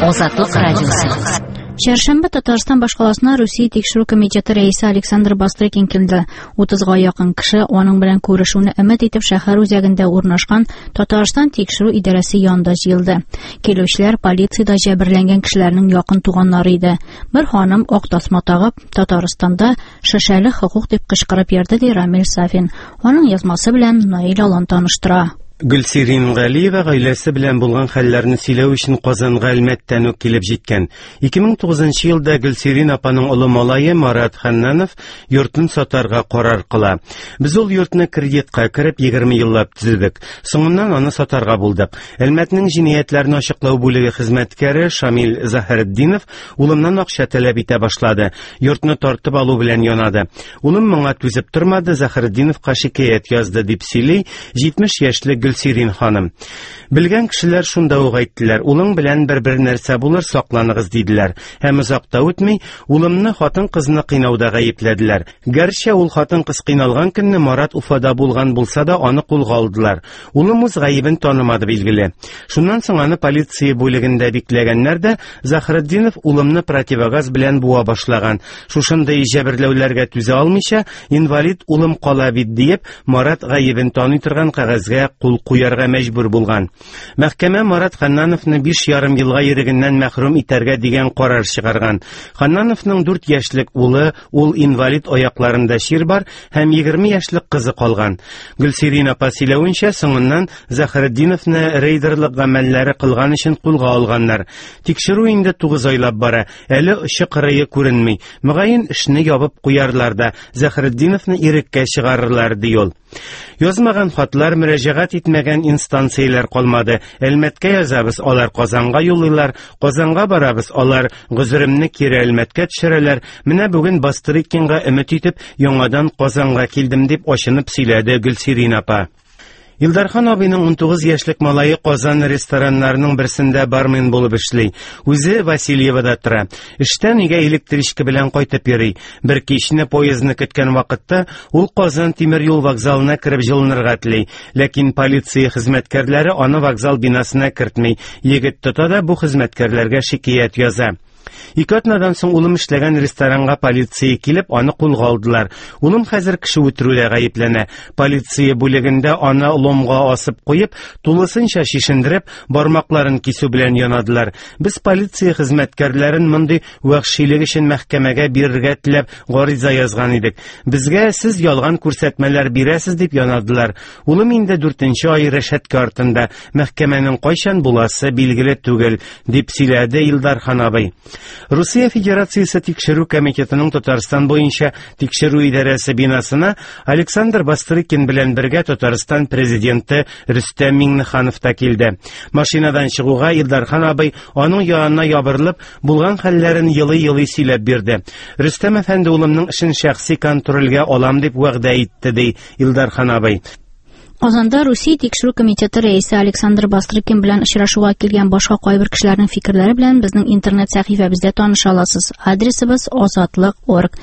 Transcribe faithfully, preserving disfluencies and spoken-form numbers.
Азатлык радиосы. Чәршәмбе Татарстан башкаласына Русия тикшерү комитеты рәисе Александр Бастрыкин килде. Утызга якын кеше аның белән күрешүне өмет итеп шәһәр үзәгендә урнашкан Татарстан тикшерү идарәсе янында җыелды. Килүчеләр полициядә җәберләнгән кешеләрнең якын туганнары иде. Бер ханым ак тасма тагып, Татарстанда шешәле хокук дип кычкырып йөрде, ди Рамил Сафин. Аның язмасы белән Наил Алан таныштыра. Гөлсирин Галиева гаиләсе белән булган хәлләрне сөйләү өчен Казанга Әлмәттән үк килеп җиткән. ике мең тугызынчы елда Гөлсирин апаның олы малае Марат Ханнанов йортын сатарга карар кыла. Без ул йортны кредитка кереп егерме еллап төзедек. Соңыннан аны сатарга булдык. Әлмәтнең җинаятьләрне ачыклау бүлеге хезмәткәре Шамил Заһретдинов улымнан акча таләп итә башлады. Йортны тартып алу белән янады. Улым моңа түзеп тормады, Заһретдиновка шикаять язды, дип сөйли җитмеш яшьлек Гөлсирин ханым. Белгән кешеләр шунда ук әйттеләр, улың белән бер-бер нәрсә булыр, сакланыгыз, диделәр. Һәм озак та үтми, улымны хатын-кызны кыйнауда гаепләделәр. Гәрчә ул хатын-кыз кыйналган көнне Марат Уфада булган булса да, аны кулга алдылар. Улым үз гаебен танымады, билгеле. Шуннан соң аны полиция бүлегендә бикләгәннәр дә, Заһретдинов улымны противогаз белән буа башлаган. Шушындый җәберләүләргә түзә алмыйча, инвалид улым кала бит диеп, Марат гаебен таный торган кәгазьгә кул куярга мәҗбүр булган. Мәхкәмә Марат Ханнановны биш ярым елга ирегеннән мәхрүм итәргә дигән карар чыгарган. Ханнановның дүрт яшьлек улы, ул инвалид, аякларында чир бар, һәм егерме яшьлек кызы калган. Гөлсирин апа сөйләвенчә, соңыннан Заһретдиновны рейдерлык гамәлләре кылган өчен кулга алганнар. Тикшерү инде тугыз айлап бара, әле очы кырые күренми. Мөгаен эшне ябып куярлар да, Заһретдиновны иреккә чыгарырлар, ди ул. Язмаган хатлар, мөрәҗәгать итмәгән инстанцияләр калмады. Әлмәткә язабыз, алар Казанга юллыйлар, Казанга барабыз, алар гозеремне кире Әлмәткә төшерәләр. Менә бүген Бастрыкинга өмет итеп, яңадан Казанга килдем, дип ачынып сөйләде Гөлсирин апа. Илдархан абыйның унтугыз яшьлек малае Казан рестораннарының берсендә бармен булып эшли. Үзе Васильевода тора. Эштән өйгә электричка белән кайтып йөри. Бер кичне поездны көткән вакытта ул Казан тимер юл вокзалына кереп җылынырга тели. Ләкин полиция хезмәткәрләре аны вокзал бинасына кертми. Егет тота да бу хезмәткәрләргә шикаять яза. Ике атнадан соң улым эшләгән ресторанга полиция килеп, аны кулга алдылар. Улым хәзер кеше үтерүдә гаепләнә. Полиция бүлегендә аны ломга асып куеп, тулысынча шешендереп, бармакларын кисү белән янадылар. Без полиция хезмәткәрләрен мондый вәхшилек өчен мәхкәмәгә бирергә теләп гариза язган идек. Безгә сез ялган күрсәтмәләр бирәсез дип янадылар. Улым инде дүртенче ай рәшәткә артында. Мәхкәмәнең кайчан буласы билгеле түгел, дип сөйләде Илдархан абый. Русия Федерациясе тикшерү комитетының Татарстан буенча тикшерү идарәсе бинасына Александр Бастрыкин белән бергә Татарстан президенты Рөстәм Миңнеханов та килде. Машинадан чыгуга Илдархан абый аның янына ябырылып, булган хәлләрен елый-елый сөйләп бирде. Рөстәм әфәнде улымның эшен шәхси контрольгә алам дип вәгъдә итте, ди Илдархан абый. Казанда Русия тикшерү комитеты рәисе Александр Бастрыкин белән очрашуга килгән башка кайбер кешеләрнең фикерләре белән безнең интернет сәхифәбездә таныша аласыз. Адресыбыз азатлык орг.